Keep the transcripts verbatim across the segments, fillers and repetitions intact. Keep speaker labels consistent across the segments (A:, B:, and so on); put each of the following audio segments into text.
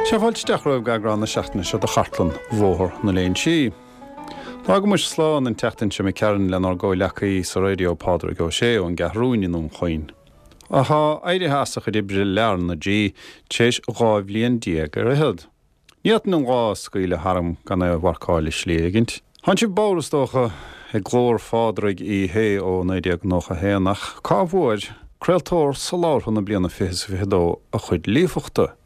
A: Sea, fáilte isteach romhaibh go eagrán na seachtaine seo de Chartlann Bhóthar na Léinsí. D'fhág muid slán an tseachtain seo imigh tharainn lenár gcomhghleacaí sa raidió Pádraig Ó Sé ón gCeathrú Rua i nDún Chaoin. Atá éirithe as a chuid oibre le R na G tar éis dhá bhliain déag ar fhichead. Ní fhéadfainn an lá a scaoileadh tharam gan é a mharcáil i slí éigint. Tá sibh bodhar is dócha ag glór Phádraig Uí Shé ó naoi déag nócha haon ach cá bhfuair craoltóir soláthartha na bliana fiche is fiche dó a chuid líofachta.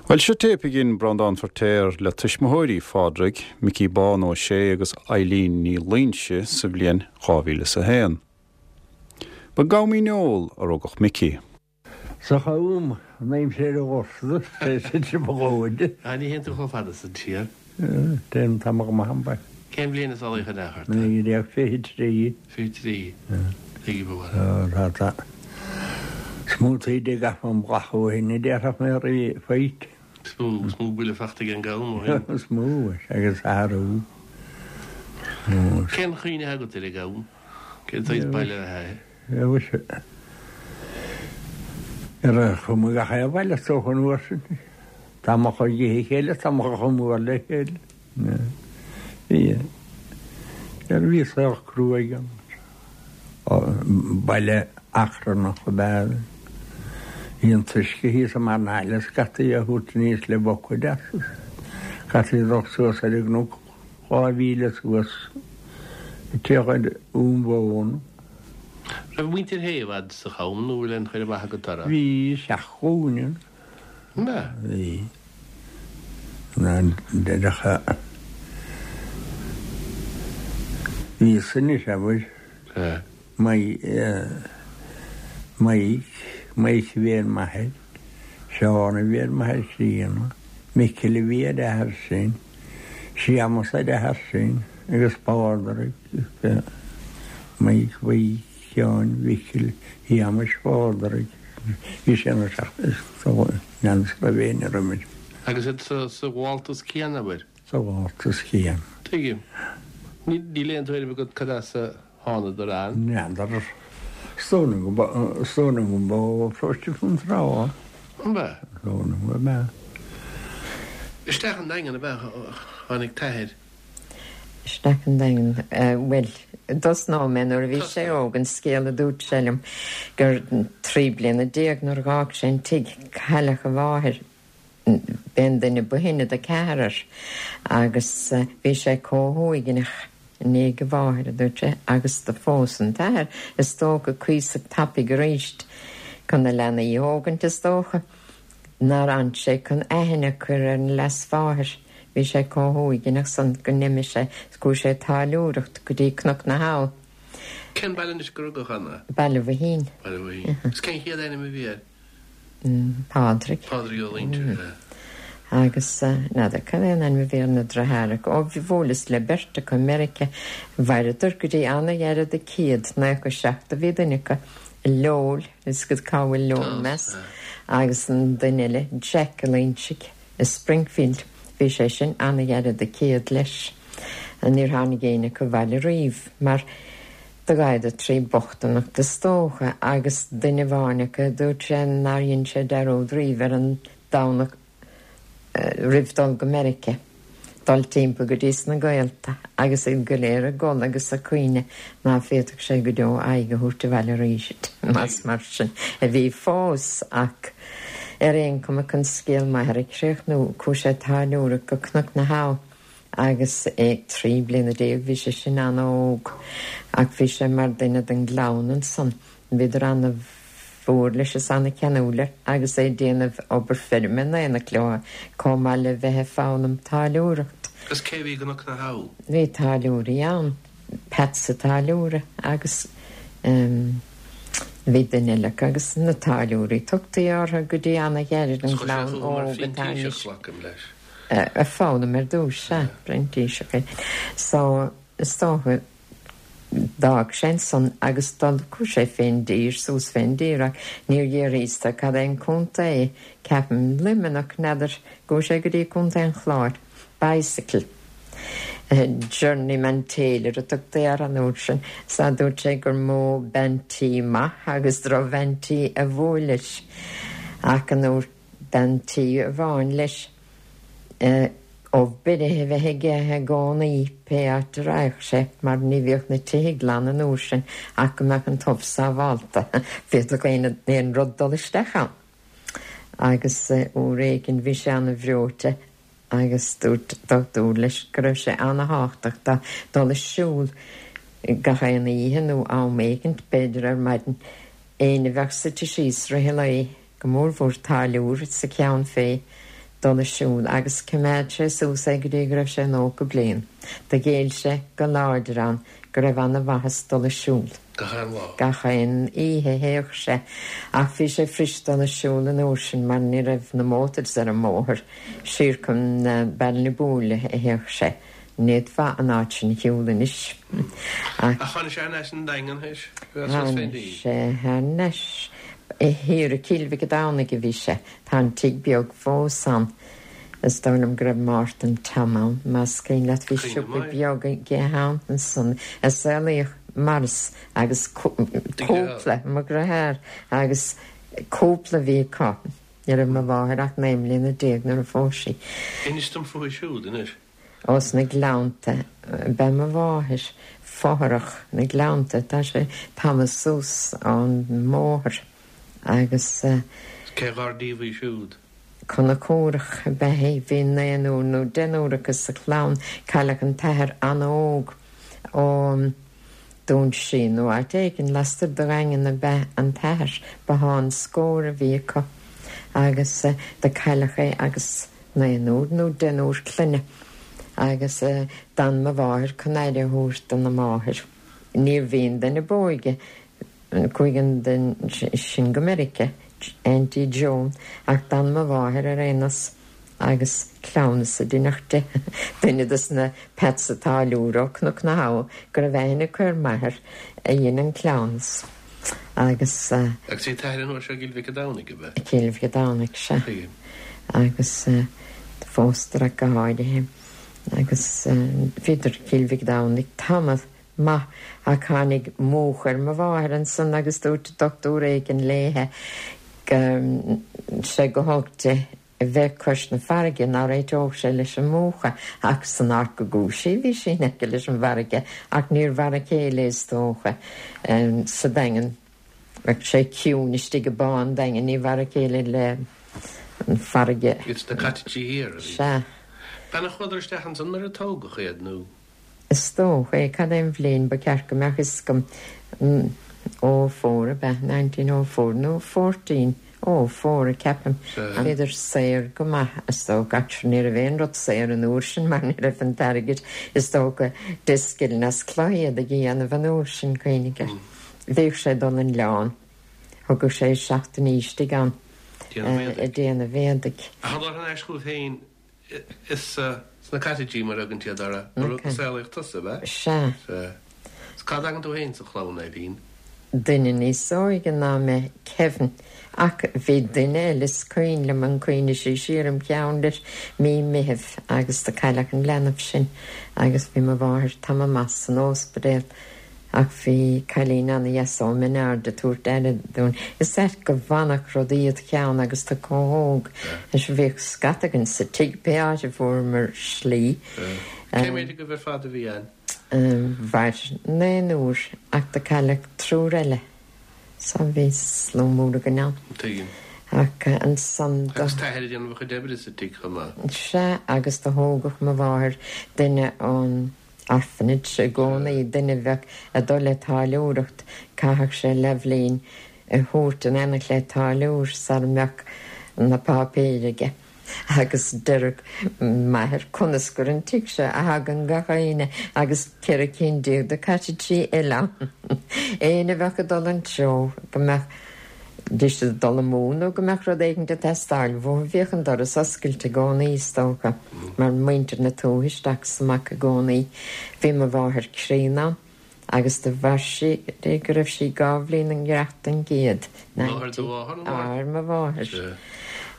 A: Bhuel seo téip a dhein Breandán Feirtéar le tuismitheoirí Phádraig, Micí Bán Ó Sé agus Eileen Ní Loingsigh sa bhliain dhá mhíle is a haon. Ba i gCom Dhíneol a rugadh Micí.
B: Sa Cham an aimsir a ghorta sé ba dhóide.
C: A ní théann tú chomh fada san siar.
B: Téim tamall maith amach.
C: Cén bhliain a saolaíodh an athair?
B: Naoi déag fiche trí.
C: Fiche trí. Tuigim go bhfuil.
B: Tá tá. Is mó taoide ag am gach ó shin a déarfadh mé rí faighte.
C: Is mó is mó buille faighte ag an gCam ó shin.
B: Is mó agus athrú.
C: Cén chuimhne agat ar an gCam? Cén saghas baile a é?
B: Ar a chuma gach aon bhaile is dócha an uair sin. Tá mo chuid a chéile, tá mo chomh mór le chéile. Bhí ar bhí saol cruaidh ann. Baile achrannach ab ea é. Bhí an t-uisce thíos i mbarr na haille scaití a thabhairt aníos le bucaeid as. Caithfí dul suas ar an gcnoc dhá mhíle suas ag tíocht ar Ún Mhóna.
C: Raibh muintir Shé i bhfad sa Cham nó bhfuil aon chur amach agat orthu?
B: Bhí seacht nglúine ann.
C: An ea?
B: Bhí. Na deireadh Bhí sin abair.
C: Sea.
B: Maidhc, Maidhc a bhí ar m'athair, Seán a bhí ar m'athair críonna, Micil a bhí ar a athair sin, Séamas ar a athair sin agus Pádraig, Maidhc, Mhaidhc, Sheáin, Mhicil, Shéamais, Phádraig, bhí sé ina seacht is dóigh, n'fheadar raibh éinne roimis.
C: Agus iad sa ghabháltas céanna, abair?
B: Sa ghabháltas céanna.
C: Tuigim. Níl aon tuairim agat cad as a thánadar ann?
B: N'fheadar. Is dóigh liom go is dóigh liom go mba ó Pharóiste Fionntrá.
C: An b'ea?
B: Is dóigh liom go mb'ea.
C: Isteach an Daingean ab ea a tháinig t'athair?
D: Isteach an Daingean, bhuel, dtosnóidh mé nuair a bhí sé óg, an scéal a dúirt sé liom gur trí bliana déag nuair a dh'fhág sé an tigh, cailleadh a mháthair. B'é an duine ba shine de ceathrar agus bhí sé comh huaigneach i ndiaidh a mháthair, a dúirt sé, agus do phós an t-athair, is dócha, cuíosach tapaidh aríst chun na leanaí a thógaint, is dócha, nár fhan sé chun aithne a chur ar an leasmháthair. Bhí sé comh huaigneach san go n-imigh sé is chuaigh sé ag táilliúireacht go dtí Cnoc na hAbha.
C: Cén baile anois gur rugadh ann é?
D: Baile Mhaoithín.
C: Baile Mhaoithín. Is cén chéad ainm a bhí air?
D: Pádraig.
C: Pádraig Ó Loingsigh, sea.
D: Agus n'fheadar cad é an ainm a bhí ar na deartháireacha. Ó, bhí bhuaileas le beirt acu i Meiriceá. Mhaireadar go dtí an-ghairid a céad, naocha seacht a bhí duine acu. Lowell, is go cá bhfuil Lowell, meas, agus an duine eile, Jack Ó Loingsigh i Springfield. Bhí sé sin an-ghairid a céad leis. Níor tháinig éinne acu abhaile riamh mar do ghabhadar trí bochtaineacht is dócha agus duine amháin acu dúirt sé nár dhein sé dearúd riamh ar an Domhnach roimh dul go Meiriceá, dul timpeall go dtí sna gaolta agus iad go léir ag gol agus ag caoineadh ná féadfadh sé go deo aghaidh a thabhairt abhaile arís más mar sin a bhí fós ach ar aon chuma chun scéal m'athar a chríochnú chuaigh sé ag táilliúireacht go Cnoc na hAbha Agus é trí bliana déag, bhí sé sin an-óg, ach bhí sé mar duine den gclann ansan. Bhíodar ana-mhór leis is ana-cheanúil air agus é ag déanamh obair feirme in éineacht leo, chomh maith le bheith ag foghlaim táilliúireacht.
C: Agus cé a bhí i gCnoc na hAbha?
D: Bhí táilliúirí ann, Peatsa Táilliúra agus bhí duine eile acu agus na táilliúirí, tugtaí orthu go dtí ana-ghairid, an
C: Is chuir sé
D: gclann
C: fúthu mar
D: óg atá
C: phrintíseach,
D: anois.
C: glacaim leis.
D: Ag foghlaim ar dtús, sea, printíseach é. So, is dócha, d'fhág sé ansan agus dul, chuaigh sé fén dtír, suas fén dtír ach níor fhiafraíos de cad é an contae é, ceapaim, Luimneach, n'fheadar, chuaigh sé go dtí Contae an Chláir, bicycle, journeyman tailor a tugtaí air an uair sin, so dúirt sé gur mó bean tí maith agus drochbhean tí a bhuail leis ach an uair. D'fhan tigh amháin leis ubh beirthe a bheith aige i gcónaí pé áit a raghadh sé mar ní bhíodh na tithe glan an uair sin ach go mbeadh an t-ubh sábhálta, bhféadfadh aon aon rud dul isteach ann. Agus uair éigin bhí sé ana-bhreoite agus dúirt dochtúir leis go raibh sé ana-thábhachtach dó dul ag siúl gach aon oíche nó am éigint, b'fhéidir ar maidin, éinne a bheadh suite síos rith an lae, go mórmhór táilliúir sa cheann fé dul ag siúl agus choimeád sé suas é go dtí go raibh sé nócha bliain. Do ghéill sé go láidir ann go raibh ana-mhaitheas dul ag siúl.
C: Gach aon lá?
D: Gach aon oíche théadh sé ach bhí sé fuirist dul ag siúl an uair sin mar ní raibh na motors ar an mbóthar. Siar chun Ballinaboole a théadh sé. Ní fhéadfá an áit sin a shiúl anois.
C: Ach tháinig sé thar n-ais an Daingean théis?
D: Tháinig sé thar n-ais. Thiar i gCill Mhic an Domhnaigh a bhí sé. Tá an tigh beag fós ann. Is dóigh liom go raibh Mártan Tom ann, más cuimhin leat. Bhí siopa beag aige ann ansan a saolaíodh Maurice agus cúpla, mo dheartháir agus cúpla a bhí acu. Ní raibh mo mháthair ach naoi mbliana déag nuair a phós sí.
C: Inis dom fúithi siúd anois.
D: Ó sna Gleannta ab ea mo mháthair, fothrach na Gleannta, tá sé tamall suas ón mbóthar agus.
C: Cé dhár díobh í siúd?
D: Conchúrach ab ea í, bhí naonúr nó deichniúr acu sa chlann, cailleadh an t-athair an-óg ó Dún Sí nó áit éigin lastoir de Dhaingean ab ea an t-athair, bothán scóir a bhí acu agus do cailleadh é agus naonúr nó deichniúr clainne agus d'fhan mo mháthair chun aire a thabhairt dona máthair. Níorbh í an duine b'óige, chuaigh an duine sin go Meiriceá, Auntie Joan, ach d'fhan mo mháthair ar aon nós agus cleamhnas a deineadh di, duine dos na Peats an Táilliúra ó Chnoc na hAbha go raibh aithne acu ar m'athair a dhein an cleamhnas. Agus.
C: Agus bhí t'athair an uair seo i gCill Mhic an Domhnaigh, ab ea?
D: I gCill Mhic an Domhnaigh, sea.
C: Tuigim.
D: Agus phósadar ach go háirithe. Agus bhíodar i gCill Mhic an Domhnaigh tamall maith ach tháinig múch ar mo mháthair ansan agus dúirt dochtúir éigin léithe go raibh sé go holc di a bheith cois na farraige, ná réiteodh sé leis an múchadh, ach san áit go gcuaigh sí, bhí sí in aice leis an bhfarraige, ach níor mhar a chéile is dócha sa Daingean. Bheadh sé ciúin istigh i bPá an Daingin, ní mar a chéile le an farraige.
C: Iad sna cottages thiar, a bhí.
D: Sea.
C: B'in a chuadar isteach ansan nuair a tógadh iad, nó?
D: Is dócha é. Cad é an bhliain ba cheart go mbeadh fhios agam? Oh four ab ea? Nineteen oh four nó fourteen oh four, ceapaim. Bhíodar saor go maith, is dócha, ach ní raibh aon rud saor an uair sin mar ní raibh an t-airgead, is dócha, deich scilling as cloich iad a dhéanamh an uair sin, cuimhnigh air. Bhíodh sé ag dul an oileán, thugadh sé seachtainí istigh ann ag déanamh éadaigh.
C: Ach a dhul thar n-ais chugaibh féin is sna cottages mar a thugann siad orthu, a saolaíodh tusa, ab ea?
D: Sea.
C: Sea. Is cá dtagann tú féin sa chlann, Eileen?
D: Duine níos óige ná mé, Kevin. Ach bhí duine eile is cuimhin liom an cuimhne sí siar im cheann leis, mí Meithimh agus do cailleadh an leanbh sin agus bhí mo mháthair tamall maith san óspidéal ach bhí cailín ana-dheas ó Mhin Aird ag tabhairt aire dúinn. Is ait go bhfanfadh rudaí id cheann agus tú chomh hóg. Is bhíodh scata againn sa tigh pé áit a bhfuaireamar slí.
C: Cé mhéad agaibh ar fad a bhí ann?
D: Mhair naonúr ach do cailleadh triúr eile so bhí slua mór againn ann.
C: Tuigim.
D: Ach ansan do.
C: Agus t'athair ag déanamh a chuid oibre sa tigh chomh maith.
D: Sea, agus do thógadh mo mháthair duine ón orphanage i gcónaí, duine a bheadh ag dul le táilliúireacht, chaithfeadh sé leathbhliain a thabhairt in éineacht le táilliúir sara mbeadh na páipéir aige. Agus deireadh m'athair, conas gur an tigh seo a thagann gach éinne agus ceithre cinn déag de cottages eile ann. Éinne a bheadh ag dul an treo go mbeadh deis ag dul amú nó go mbeadh rud éigin ag teastáil uathu, bhíodh an doras oscailte i gcónaí, is dócha, mar muintir na tuaithe isteach is amach i gcónaí. Bhí mo mháthair críonna ann agus do mhair sí go dtí go raibh sí dhá bhliain i ngearach don gcéad,
C: Máthair do mháthar nó
D: máthair mo mháthar.
C: Sea.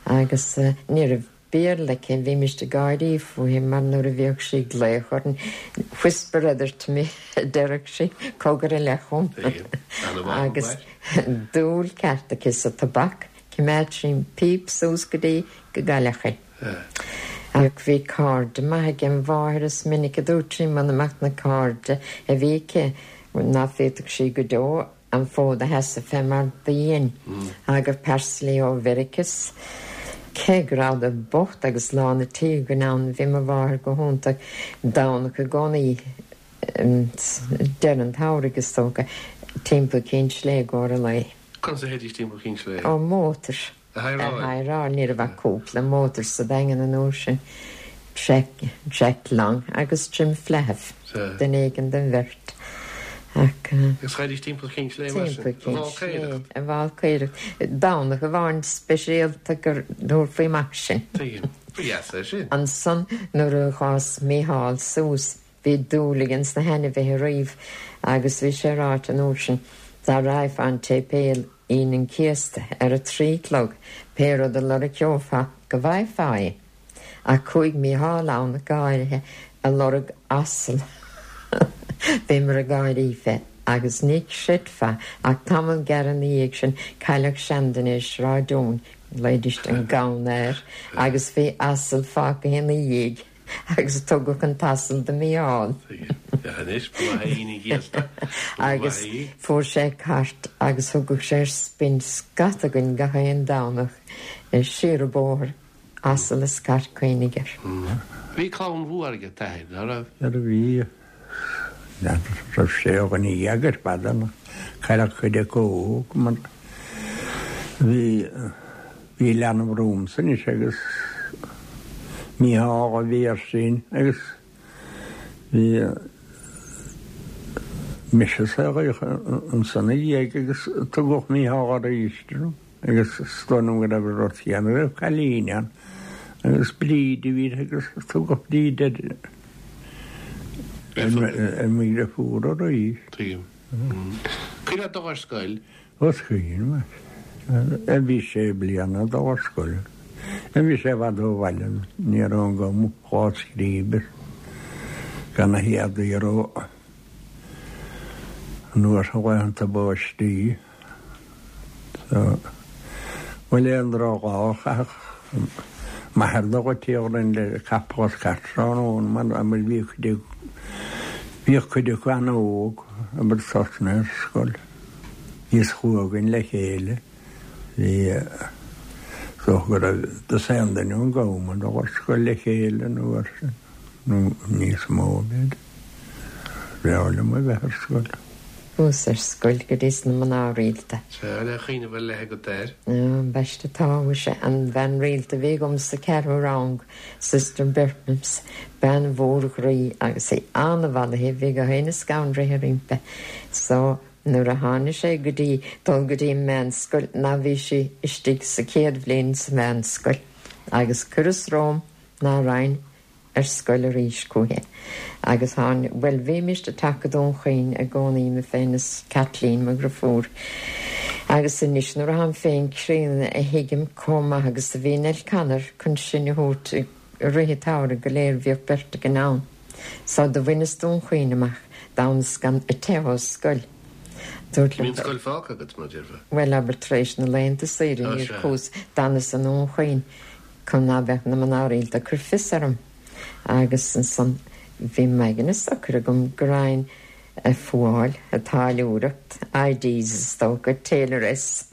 D: Agus ní raibh Béarla aici, bhímist ag gáirí fúithi mar nuair a bhíodh sí ag glaoch orainn, whisper it to me, a deireadh sí, cogar i leith chugam. Agus dúil ceart aici sa tobac, Choimeád sí an píp suas go dtí go gcailleadh í. Ach bhí cairde maith ag an mháthair is minic a dúirt sí muna mbeadh na cairde a bhí aici ná féadfadh sí go deo an fód a sheasamh fé mar do dhein. Thagadh parcelaí ó Mheiriceá 's cé go rabhadar bocht agus lán an tí againn ann bhí mo mháthair go hiontach Domhnach i gcónaí deireadh an tsamhraidh is dócha timpeall Cinn Sléibhe i gcomhair an lae.
C: Conas a théidís timpeall Chinn Sléibhe?
D: Ó mótar.
C: A hire-áil?
D: A hire-áil, ní raibh ach cúpla mótar sa Daingean an uair sin, Jack, Jack Long agus Jim Flahiff, duine éigin den bheirt. Ach.
C: Agus théidís timpeall Chinn Sléibhe mar sin?
D: Timpeall Chinn Sléibhe, a bhfálcaoireacht. Domhnach amháin speisialta go dtabharfaí amach sinn.
C: Tuigim. Ba dheas é sin.
D: Ansan nuair a d'fhás Mícheál suas, Bhí dúil aige ins na hainmhithe riamh agus bhí sé ráite an uair sin dá raghfá an tséipéal Aoine an Chéasta ar a trí chlog pé rud a lorgófá go bhfaighfeá é. Ach chuaigh Mícheál ann go háirithe a lorg asal. Bhíomar ag gáirí fé agus ní chreidfeá ach tamall gearr ina dhiaidh sin cailleadh seanduine i Sráid Eoin, ghlaoidís an Gamhna air, agus bhí asal fágtha ina dhiaidh. Agus tugadh an t-asal do Mhícheál.
C: Anois, ba mhaith é Aoine an Chéasta.
D: Agus fuair sé cairt agus thugadh sé ar spin scata againn gach aon Domhnach siar an bóthar, asal is cairt cuimhnigh air.
C: Bhí clann mhór ag t'athair, ná raibh?
B: Ar bhí. Raibh sé dhuine dhéag ar fad ann. Cailleadh cuid acu óg mar bhí Bhí leanbh romhamsa anois agus Mícheál a bhí air sin agus bhí mise saolaithe ansan ina dhiaidh agus tugadh Mícheál arís orm agus is dóigh liom go raibh an rud céanna raibh cailín ann agus Bríd a bhí uirthi agus tugadh Bríd ar ar mo dheirfiúr arís.
C: Tuigim. Cuimhin leat dul ar scoil?
B: Is cuimhin liom. Bhí sé bliana ag dul ar scoil. Bhí sé i bhfad ó bhaile, ní raibh ann agam dhá scríobh gan na héadaí a raibh anuas ar laethanta báistí. So, bhuel aon drogall a chaithfeadh m'athair dul go Tír Fhloinn le capall is cairt tráthnóna mar mar bhí cuid bhíodh cuid acu an-óg abair tosnaithe ar scoil. Bhíos chugainn le chéile. Bhí is dócha go raibh dosaen duine ón gCam ag dul ar scoil le chéile an uair sin, nó níos mó b'fhéidir. Bhreá liom a bheith ar scoil.
D: Chuas ar scoil go dtí sna mná rialta.
C: Sea, le cuimhneamh ar leith agat air.
D: Ambaiste tá, mhuise, an bhean rialta a bhí agam sa ceathrú rang, Sister Bertnams, bean mhór ghroí agus í an-mhallaithe, bhí gach éinne scanraithe roimpi. So, nuair a tháinig sé go dtí dul go dtí an meánscoil, ná bhí sí istigh sa chéad bhliain sa mheánscoil agus chuireas romham ná raghainn ar scoil arís chúichi. Agus tháinig, bhuel, bhímist ag teacht go Dún Chaoin i gcónaí, mé féin is Kathleen, mo dhriofúr. Agus anois nuair atáim féin críonna a thuigim chomh maith agus a bhí Nell Connor chun sinn a thabhairt i rith an tsamhraidh go léir, bhíodh beirt againn ann. So do bhaineas Dún Chaoin amach, d'fhanas gan teitheadh ó scoil. Dúirt
C: Bhí
D: liom
C: an scoil fágtha agat, mar a déarfá?
D: Bhuel, abair tar éis na laethanta saoire
C: Á,
D: níor
C: sea.
D: chuas, d'fhanas i nDún Chaoin chun ná beadh na mná rialta ag cur fios orm. Agus ansan bhí m'aigne socair agam go raghainn a fuáil, a táilliúireacht, IDs is dócha, tailoress.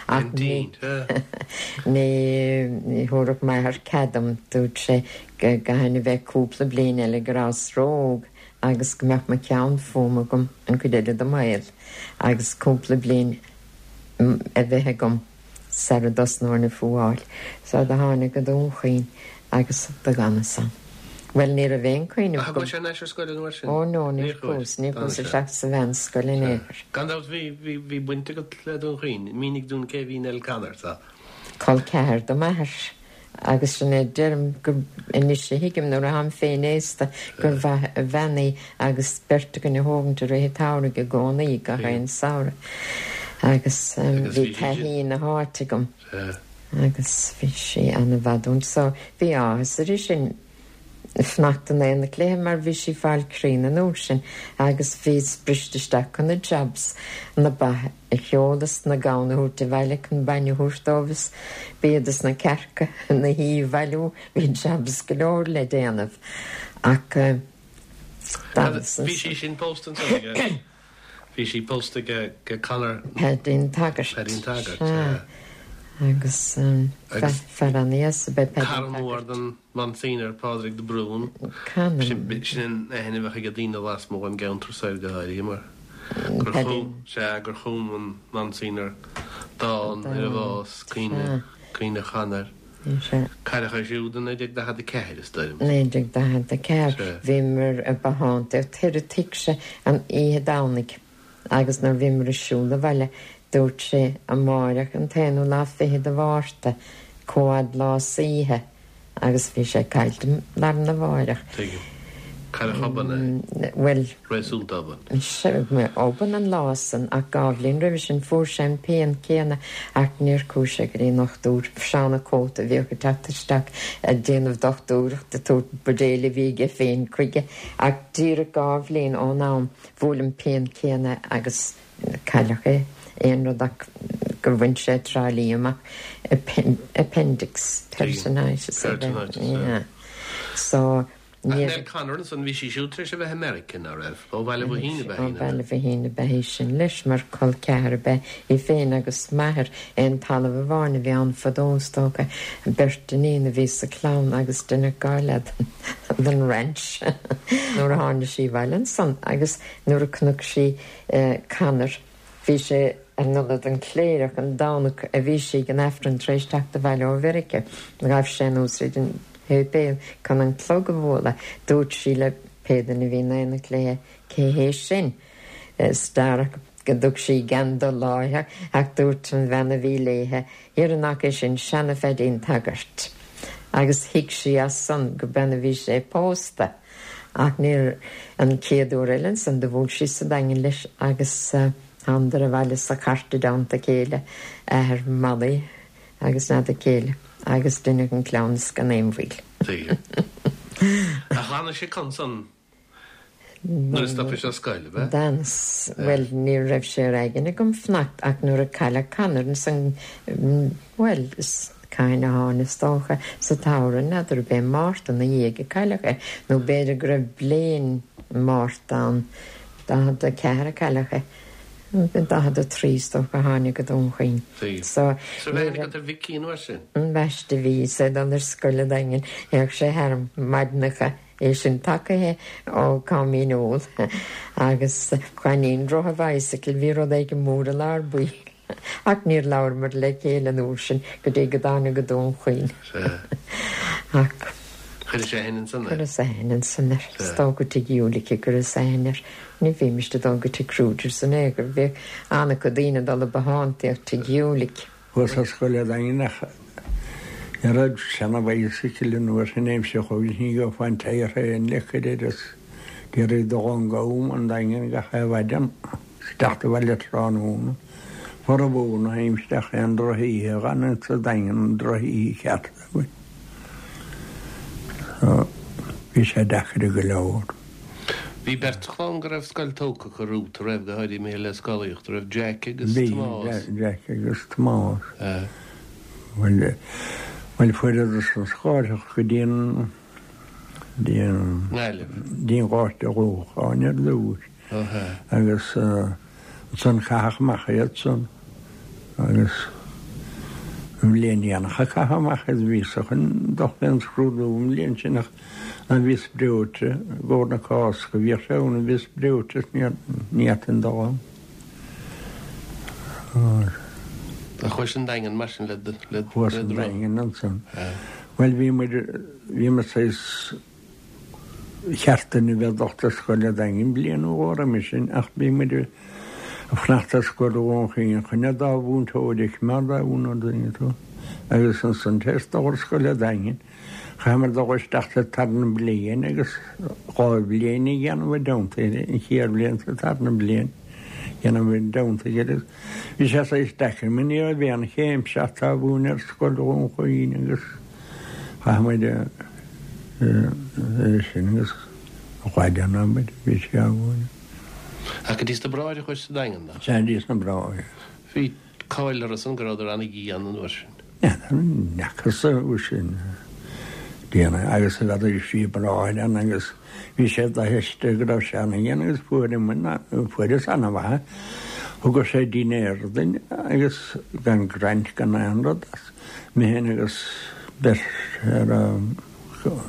D: Ach ní ní thabharfadh m'athair cead dom, dúirt sé go gcaithfinn a bheith cúpla bliain eile go rabhas ró-óg agus go mbeadh mo cheann fúm agam an chuid eile de mo shaol agus cúpla bliain a bheith agam sara dtosnóinn a fuáil. So do tháinig go Dún Chaoin agus do dh'fhanas ann. Bhuel, ní raibh aon chuimhneamh
C: Ach
D: agam.
C: chuais thar n-ais ar scoil an uair sin?
D: Ó no, níor
C: Níor chuais.
D: chuas, níor chuas
C: D'fhan sé.
D: isteach sa mheánscoil in aon chor.
C: Gan dabht bhí, bhí, bhí baint agat le Dún Chaoin. Mínigh dúinn cé bhí Nell Connor, sa.
D: Col ceathar do m'athair. Agus sin é, deirim go, anois a thuigim nuair atáim féin aosta gur mhaith a bhean í agus beirt againn a thógaint i rith an tsamhraidh i gcónaí, gach aon samhradh. Agus
C: Agus
D: bhí
C: bhí sí
D: taithí na háite agam.
C: Sea.
D: Agus bhí sí an-mhaith dúinn. So bhí áthas uirthi sin fanacht in aonach léithe mar bhí sí fáil críonna an uair sin agus bhíos briste isteach chun na jobs na ba a sheoladh is na gamhna a thabhairt abhaile chun bainne a thabhairt dóibh is béad is na cearca na hí a bhailiú, bhí jobs go leor le déanamh ach d'fhanas
C: Bhí sí sin pósta ansan aige? Bhí sí pósta ag Conor
D: Paidín Taggart.
C: Paidín Taggart,
D: Sea. Agus fear an-deas ab ea Paidín
C: Cara mór
D: Taggart.
C: den Monsignor Pádraig de Brún.
D: Canam.
C: Sin an aithne a bheadh ag daoine lasmuigh den gceantar soir go háirithe mar gur
D: Paidín.
C: chum, sea, gur chum an Monsignor dán ar a bhás, Caoineadh, Caoineadh Chonair.
D: Sea.
C: Cailleadh é siúd i naoi déag daichead a ceathair is dóigh liom.
D: Naoi déag daichead a ceathair.
C: Sea.
D: Bhíomar i bothántaíocht thoir a tigse an oíche Domhnaigh agus nuair bhíomar ag siúl abhaile dúirt sé amáireach an t-aonú lá fichead de Mhárta, comhfhad lá is oíche agus bhí sé caillte lá arna mháireach.
C: Tuigim. Cailleadh obann é.
D: Bhuel.
C: Réasúnta obann.
D: Sea, obann an lá san ach dhá bhliain roimhe sin fuair sé an pian céanna ach níor chuaigh sé go dtí an ndochtúir, Seán Ó Cóta a bhíodh ag teacht isteach ag déanamh dochtúireachta, ag tabhairt buidéal a bhí aige féin chuige ach díreach dhá bhliain ón am bhuail an pian céanna agus cailleadh é. Aon rud ach gur bhain sé Trá Lí amach, appendix, peritonitis.
C: Peritonitis,
D: yeah. So,
C: Ach Nell Connor ansan, bhí sí siúd tar éis a bheith i Meiriceá, ná raibh? Ó Bhaile Mhaoithín ab ea í,
D: Ó Bhaile Mhaoithín ab ea í sin leis, mar col ceathar ab ea í féin agus m'athair. Aon talamh amháin a bhí ann fadó, is dócha. Beirt iníon a bhí sa chlann agus deineadh dhá leath den ranch nuair a tháinig sí abhaile ansan agus nuair a chonaic sí Conor, bhí sé in ionad an chléireach an Domhnach a bhí sí ag an Aifreann tar éis teacht abhaile ó Mheiriceá. Ghabh sé anuas tríd an shéipéal chun an clog a bhualadh. Dúirt sí le pé duine a bhí in éineacht léi, Cé hé sin? Is darach go dtug sí gan dul láithreach ach dúirt an bhean a bhí léithe, Dhera nach é sin seana-Phaidín Taggart. Agus thuig sí as san go b'in a bhí sé pósta. Ach níor an chéad uair eile ansan do bhuail sí sa Daingean leis agus thánadar abhaile sa chairt i dteannta a chéile, athair Mholly agus n'fheadar céile, agus deineadh an cleamhnas gan aon mhoill.
C: Tuigim. Ach d'fhanais acu ansan nuair a stopais ar scoil, ab ea?
D: D'fhanas. Bhuel, ní raibh sé ar aigne agam fanacht ach nuair a cailleadh Conor ansan, bhuel, is cathain a tháinig, is dócha, sa tsamhradh, n'fheadar ab é Márta ina dhiaidh a cailleadh é, nó b'fhéidir go raibh bliain Márta ann, daichead a ceathair a cailleadh é, daichead a trí is dócha a tháinig go Dún Chaoin.
C: So So bheith agat ar Mhicí an uair sin?
D: Ambaiste bhí is é ag dul ar scoil an Daingin, théadh sé tharam maidineacha, é sin tacaithe ó Cáimín Úll agus Coinín rotha bicycle, bhí rud éigin mór i lár baill. Ach níor labhramar le chéile an uair sin go dtí go dtáinig go Dún Chaoin. Ach
C: Chuiris aithne ansan air?
D: Chuireas aithne ansan air. Is dócha go tigh Ulick a gcuireas aithne air. Ní bhímist ag dul go tigh Kruger's in aon chor. Bhíodh an-chuid daoine ag dul ag bothántaíocht tigh Ulick.
B: Chuas ar scoil an Daingin ach ní raibh seana-bhicycle an uair sin aimsir chugainn, ní gheofá an tyre féin le cur air is d'iarraidh dul ón gCam an Daingean gach aon mhaidin is teacht abhaile tráthnóna. Formhór na haimsire ach aon drochoíche a dh'fhan sa Daingean, an drochoíche cheart againn. So, bhí sé deacair go leor.
C: Bhí beirt chlann go raibh scoil tógtha acu romhat, a raibh, go háirithe mé le scolaíocht, a raibh Jack agus
B: Bhí,
C: Tomás.
B: Jack agus Tomás.
C: Eh.
B: Bhuel, bhuel, fuaireadar san scolaíocht go dtí an, dtí an,
C: nGaillimh.
B: dtí an Gort a' Lócháin ar dtús.
C: Ó hea.
B: Agus, eh, ansan caitheadh amach iad san agus an bhliain dhéanach a caitheadh amach iad bhíos-sa chun dul fén scrúdú an bhliain sin ach an bhíos breoite i gcomhair na Cásca, bhíodh sé ann a bhíos breoite is ní fhéadfainn dul ann.
C: Ach chuais an Daingean mar sin le le
B: Chuas an Daingean ansan. Bhuel bhí muid bhí muid saghas cheart dúinn a bheith ag dul ar scoil an Daingin bliain nó dhó roimhe sin ach bhí muid ag fanacht ar scoil Dhún Chaoin chun an dá mhúinteoir a choimeád á mhúineadh dúinn tú. Agus ansan tar éis dul ar scoil an Daingin, chaitheamar dul isteach sa tarna bliain agus dhá bhliain a dhéanamh i dteannta an chéad bhliain sa tarna bliain dhéanamh i dteannta agus bhí sé saghas deacair mar ní raibh aon chéim seachtar mhúineadh ar scoil Dhún Chaoin agus chaith muid É sin agus chuaigh an abair, bhí sé againn.
C: Ach go dtí sna Bráithre a chuais sa Daingean, nach?
B: Sea, dtí sna Bráithre.
C: Bhí cáil orthu san go rabhadar ana-dhian an uair sin.
B: N'fheacas uair sin déanamh agus a bheadh sí bráthair ann agus bhí sé d'aithiste go raibh sé ana-dhian agus fuaireas ana-mhaith. Thugadh sé dinnéar duinn agus gan graint gan aon rud as. Mé féin agus beirt ar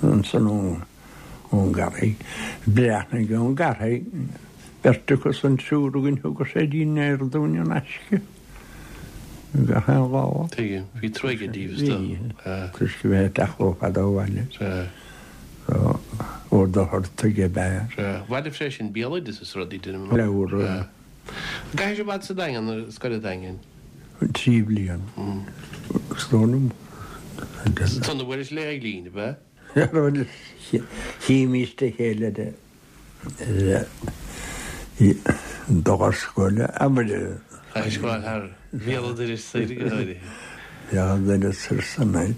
B: ansan ón gCarraig, Breathnaigh ón gCarraig, beirt acu san triúr againn thugadh sé dinnéar dúinn in aisce gach aon lá.
C: Tuigim. Bhí trua aige díobh is dóigh.
B: Bhí. Toisc a bheith ag teacht chomh fada ó bhaile.
C: Sea.
B: So, Ó Dochartaigh ab ea.
C: Sea. Bhailigh sé sin béaloideas is rudaí, deinim.
B: Leabhar.
C: Sea. An gcaithfidh sé fad sa Daingean, i scoil an Daingin?
B: Trí bliana. Is dóigh liom.
C: San a bhuaileas le Eileen, ab ea?
B: Chímís a chéile de dul ar scoil, abair.
C: Ar scoil thar bhéal an dorais soir go háirithe.
B: Bhéal an dorais soir san áit.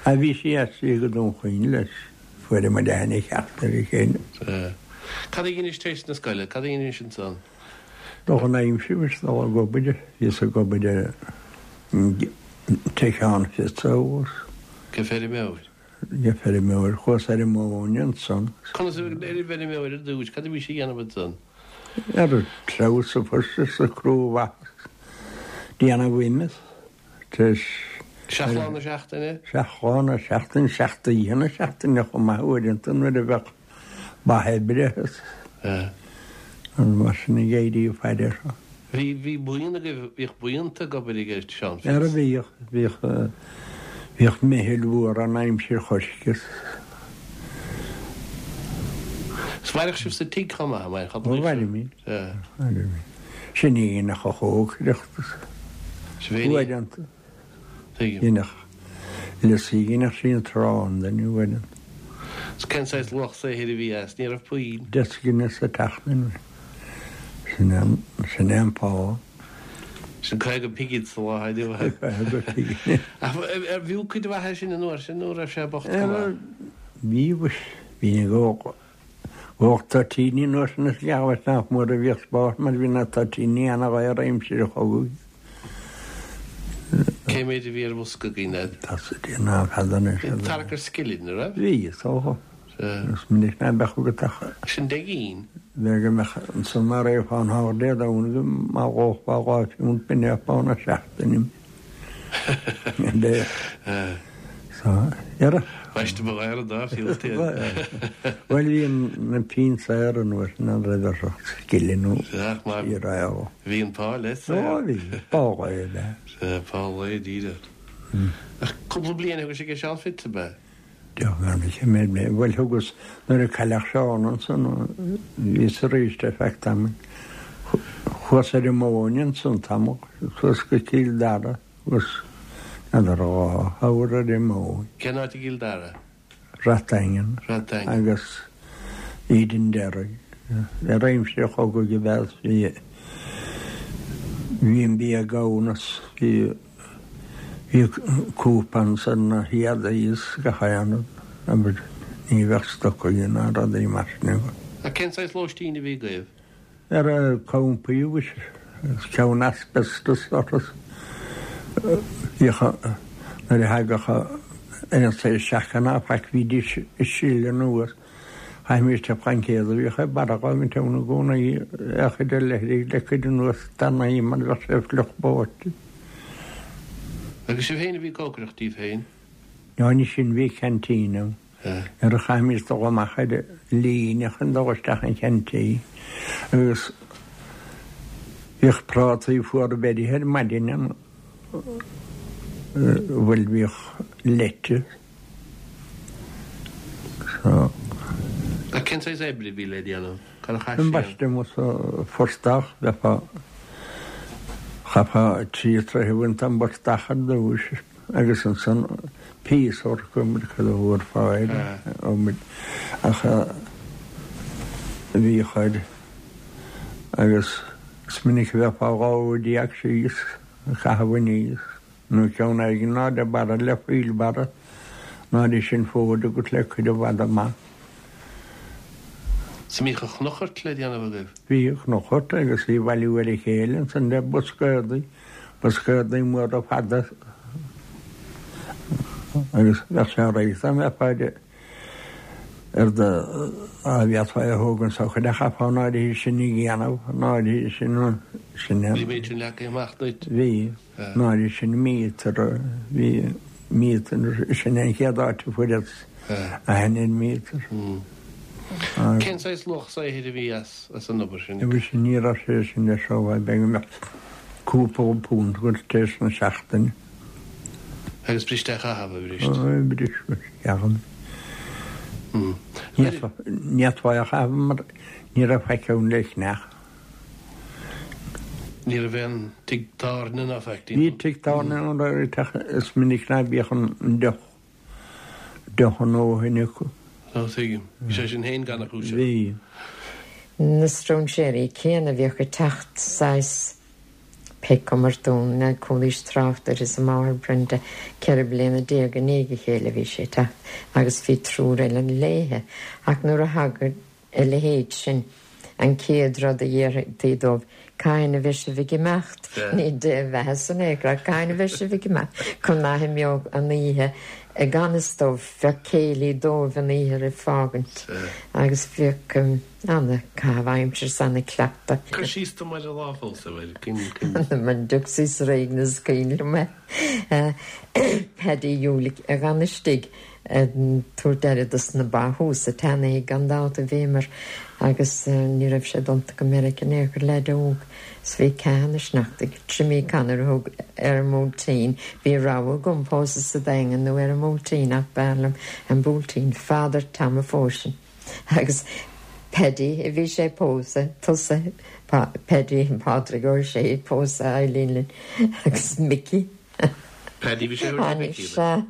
B: A bhí sí aistrithe go Dún Chaoin leis, fuair muid aithne cheart ar a chéile.
C: Cad a dheinis tar éis na scoile? Cad a dheinis ansan?
B: Dul chun aimsire, bhíos dul ag obair, bhíos ag obair i dtigh Sheáin Fitz abhus.
C: Go feirmeoir?
B: Go feirmeoir. Chuas ar an móin ansan.
C: Conas a bhí ar an bhfeirmeoir ar dtús? Cad a bhí sé a dhéanamh ansan?
B: Ar an treabhadh sa phost is sa chrú mhaitheas. Déanamh ime tar éis.
C: Seacht lá na seachtaine?
B: Seacht lá na seachtaine, seacht oíche na seachtaine chomh maith uaireanta nuair a bheadh ba oibre is mar sin ag éirí ag faire seo.
C: Bhí, bhí buíon agaibh, bhíodh buíonta ag obair ag Seán Fitz.
B: Ara bhíodh, bhíodh, bhíodh meitheal mhór ann aimsir choisc is.
C: Is mhaireadh sibh sa tigh chomh maith, mhair,
B: Ó, mhairimid. Mhairimid. Sin í a dhéanfadh a chócaireacht is. Uaireanta.
C: Tuigim.
B: Dhéanfadh Lissy, dhéanfadh sí an t-arán duinn uaireanta.
C: Is cén saghas luach saothair a bhí as? Ní raibh puinn.
B: Deich gine sa tseachtain. Sin é an, sin é an pá.
C: Sin caoga pingin sa lá inniu.
B: Caoga pingin.
C: Ach ar bhfiú cuid mhaith é sin an uair sin nó raibh sé bocht go maith?
B: Bhí, mhuis, bhí na go, go toitíní an uair sin is geall nach mór a bhíodh spás mar bhí na toitíní ana-dhaor aimsir an chogaidh.
C: Cé mhéid a bhí ar bhosca againn agat?
B: Tá sa déanamh fada anois.
C: Bhí tarrac ar scilling, an raibh?
B: Bhí, is dócha. Is minic ná beadh agat ach.
C: Sin deich gcinn.
B: Bheadh go mbeadh ansan mar é fán thár Dé Domhnaigh go mba dhóchfá dhá phiúnt b'in é pá na seachtaine. So, dhera.
C: Baiste ba ghaire dá phiúnt iad.
B: Bhuel bhí na pinn saor an uair sin an raibh ar scilling nó
C: Sea, bhí an pá leis
B: saor. Ó bhí, pá lae ab ea.
C: Sea, pá lae díreach. Ach cúpla bliain a thugas ag Seán Fitz ab ea?
B: Bhuel thugas nuair a cailleadh Seán ansan, bhíos arís ar feadh tamaill. Chuas ar an móin ansan tamall, suas go Cill Dara agus n'fheadar dhá uair ar an móin.
C: Cén áit i gCill Dara?
B: Rath Daingean.
C: Rath Daingean.
B: Agus Edenderry. Ar aimsir an chogaidh ab ea bhí bhí an bia gann is bhí Bhí cúpán san na héadaí is gach aon rud, abair, ní bheadh stocaí ná rudaí mar sin agat.
C: Ach cén saghas lóistín a bhí agaibh?
B: Ar campaí, mhuis, ceann asbestos orthu. Bhíodh, nuair a thagadh aon saghas seaca ná faic, bhídís ag sileadh anuas. Chaithimís te plaincéad a bhíodh ag barra dhá mhíle ann i gcónaí, a chuid ar leithligh le cuid anuas tanaí mar bheadh sé fliuch báite.
C: Agus sibh féin a bhí ag cócaireacht daoibh féin?
B: Ná ní sin, bhí ceaintín ann. Nuair a chaithimís dul amach ar líne chun dul isteach an cheaintín agus bhíodh prátaí fuara beirithe ar maidin ann, bhuel bhíodh leite. So.
C: Ach cén saghas oibre a bhí le déanamh? Cad a chaith sé?
B: Ambaiste amuigh sa phortach, bheifeá, chaithfeá trí troithe a bhaint den bportach ar dtúis agus ansan piece work amuigh cad a thabharfá air amuigh ach bhíodh air agus is minic a bheifeá dhá uair déag síos ag caitheamh aníos. Nó ceann éigin ná le barra le wheelbarrow Ná sin fód agat le cuid i bhfad amach.
C: Sa mbíodh an chnochairt le déanamh agaibh?
B: Bhí cnochairt agus í bhailiú ar a chéile ansan le boscádaí, boscádaí móra fada agus bheadh sé réidh dá mbeifeá ar do á bhféadfá é a thógaint sa chuid a chaithfeá an áirithe sin a dhéanamh, an áirithe sin sin
C: Bhí méid sin leagtha amach duit?
B: Bhí, an áirithe sin míotar, bhí míotar, sin an chéad áit a fuaireas aithne ar míotar.
C: Cén saghas luach saothair a bhí as as an obair sin?
B: Bhí sin ní raibh sé sin le seo bheith go mbeadh cúpla punt agat tar éis na seachtaine.
C: Agus briste a chaitheamh a bhrist?
B: Bris ceann. Ní fhéadfá a chaitheamh mar ní raibh faic ann le ceannach.
C: Ní raibh aon tigh tábhairne ná faic
B: Bhí tigh tábhairne ann is minic ná bíodh an deoch deoch an óthain acu.
C: Ó tuigim. Bhí sé sin féin gan a chúiseamh.
B: Bhí.
D: Na stróinséirí céanna a bhíodh ag teacht saghas pé cuma dún na chualaís trácht air is a máthair Brenda ceithre bliana déag i ndiaidh a chéile bhí sé ag teacht agus bhí triúr eile léithe ach nuair a thagadh a leithéid sin an chéad rud a dhéarfaí dóibh cathain a bheidh sibh ag imeacht ní de bheatha san aon chor cathain a bheidh sibh ag imeacht chun nach imeodh an oíche i gan fhios dóibh bheadh céilí dóibh an oíche roimh fágaint agus bhíodh ana caitheamh aimsire is ana cleachtadh.
C: Cur síos dom ar an lá fós a bhfuil cinn
D: Man dtiocfaí sa réigiún is cuimhin liom é. Paddy Ulick a dh'fhan istigh ag tabhairt aire dos na ba thuas sa tseanthigh gan dabht a bhíomar agus ní raibh sé dulta go Meiriceá in aon chor leaid óg is bhí ceath ina sneachtaidh. Jimmy Connor a thug ar an mBuailtín. Bhí rogha agam pósadh sa Daingean nó ar an mBuailtín ach b'fhearr liom an Buailtín. Father Tom a phós sinn agus Paddy a bhí sé ag pósadh, tusa Paddy Pádraig Ó Sé ag pósadh Eileen linn agus Mickey.
C: Paddy bhí sé ar Mickey.
D: Sea.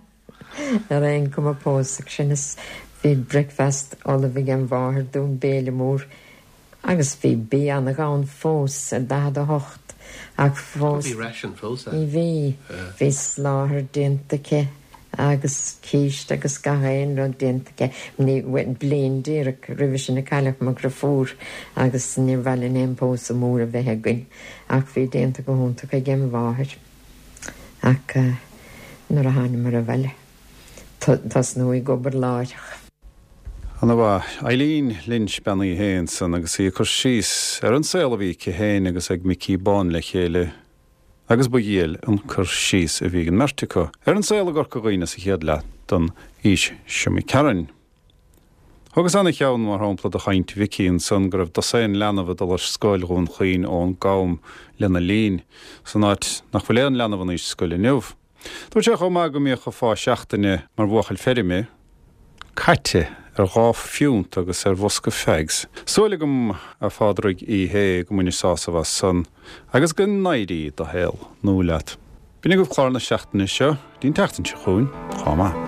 D: Ar aon chuma pósadh sinn is bhí breakfast ullamh ag an mháthair dúinn béile mór agus bhí bia an-ghann fós i daichead a hocht ach fós
C: Bhí ration fós
D: Ní bhí. Bhí sláthar déanta aici agus císte agus gach aon rud déanta aici. Ní bliain díreach roimhe sin a cailleadh mo dhriofúr agus níor mhaith linn aon pósadh mór a bheith againn ach bhí déanta go hiontach ag an mháthair. Ach nuair a thánamar abhaile tosnú ag obair láithreach.
A: Ana mhaith. Eileen Lynch bean Uí Shé ansan agus í ag cur síos ar an saol a bhí aici féin agus ag Micí Bán le chéile agus ba dhiail an cur síos a bhí ag an mbeirt acu ar an saol i gCorca Dhuibhne sa chéad leath den aois seo imigh tharainn. Thugas ana-cheann mar shampla de chaint Mhicí ansan go raibh dosaen leanbh ag dul ar scoil Dhún Chaoin ón gCam lena linn, san áit nach bhfuil aon leanbh in aois scoile inniu. Dúirt sé chomh maith go mbíodh a phá seachtaine mar bhuachaill feirme caite ar dhá phiúnt agus ar bhosca fags. Súil agam, a Phádraig Uí Shé, go mbainis sásamh as san agus go n-éirí do shaol nua leat. B'in agaibh clár na seachtaine seo, dtí'n tseachtain seo chugainn, chomh maith.